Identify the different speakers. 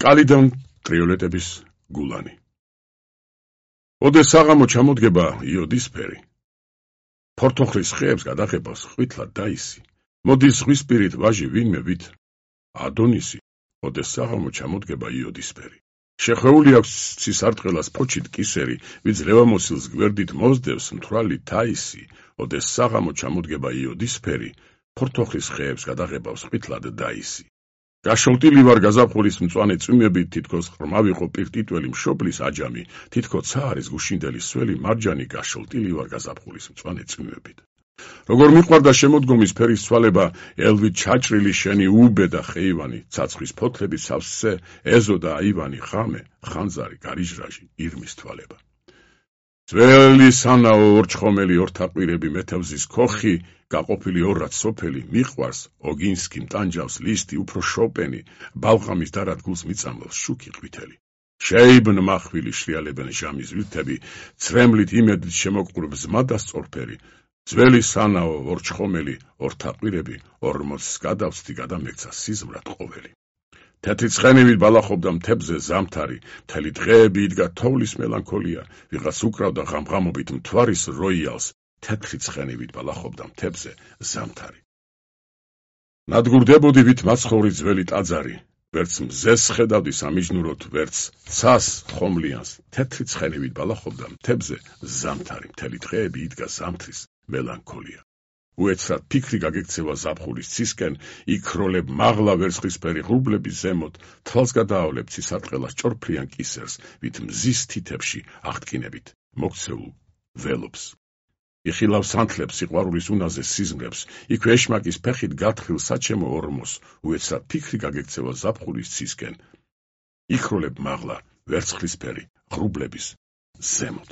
Speaker 1: რკალიდან ტრიოლეტების გულანი. ოდეს საღამო ჩამოდგება იოდისფერი. ფორთოხლის ხეებს გადაღებას ხვიტლად დაისი. მოდის ზღვისპირით ვაჟი ვინმე ვით ადონისი. ოდეს საღამო ჩამოდგება იოდისფერი. შეხვეული აქვს ცისარტყელას ფოჩით კისერი, ვიც ლევამოსილს გვერდით მოსდევს მთვრალი თაისი. ოდეს საღამო ჩამოდგება იოდისფერი. ფორთოხლის ხეებს გადაღებას ხვიტლად დაისი. გაშოლტილი ვარ გაზაფხულის მწვანე წვიმებით, თითქოს ღრმა ვიყო პირტიტველი მშობლის აჯამი, თითქოს ცა არის გუშინდელი სველი მარჯანი, გაშოლტილი ვარ გაზაფხულის მწვანე წვიმებით. როგორ მიყვარდა შემოდგომის ფერის ცვალება, ელვით ჩაჭრილი შენი უბედა ხეივანი, ცაცხვის ფოთლები სავსე, ეზო და აივანი, ღამე, ხანძარი, გარიჟრაჟი, ირმის თვალება. ძველი სანაო ორჩხომელი ორთაყვირები მეთევზის ქოხი, გაყოფილი ორად სოფელი, მიყვარს, ოგინსკი მტანჯავს ლისტი, უფრო შოპენი, ბალღამის დარად გულს მიწამლავს შუქი ყვითელი. შეიბნ მახვილი შრიალებენ ჟამის ვილთები, ცრემლით იმედით შემოყრუბ ზმა და სწორფერი. ძველი სანაო ორჩხომელი ორთაყვირები, ორმოცს გადავსდი გადამექცა სიზმრად ყოველი. თეთრი ცხენივით ბალახობდა მთებზე ზამთარი, მთელი დღეები იდგა თოვლის მელანქოლია, ვიღაც უკრავდა ღამღამობით მთვარის როიალს, თეთრი ცხენივით ბალახობდა მთებზე ზამთარი. ნადგურდებოდი ვით მაცხოვრი ძველი ტაძარი, ვერც მზეს ხედავდი სამიჯნუროთ, ვერც ცას ხომლიანს, თეთრი ცხენივით ბალახობდა მთებზე ზამთარი, მთელი დღეები იდგა ზამთრის მელანქოლია. უეცრად ფიქრი გაგექცევა ზაფხულის ცისკენ, იქროლებ მაღლა ვერცხლისფერი ღრუბლების ზემოთ, თვალს გადაავლებ ცისარტყელას ჭორფლიან კისერს, ვით მზის თითებში აღტკინებით მოქცეულ ველობს. იხილავ სანთლებს სიყვარულის უნაზე სიზმრებს, იქ ეშმაკის ფეხით გათხილ საჩემო ორმოს, უეცრად ფიქრი გაგექცევა ზაფხულის ცისკენ, იქროლებ მაღლა ვერცხლისფერი ღრუბლების ზემოთ.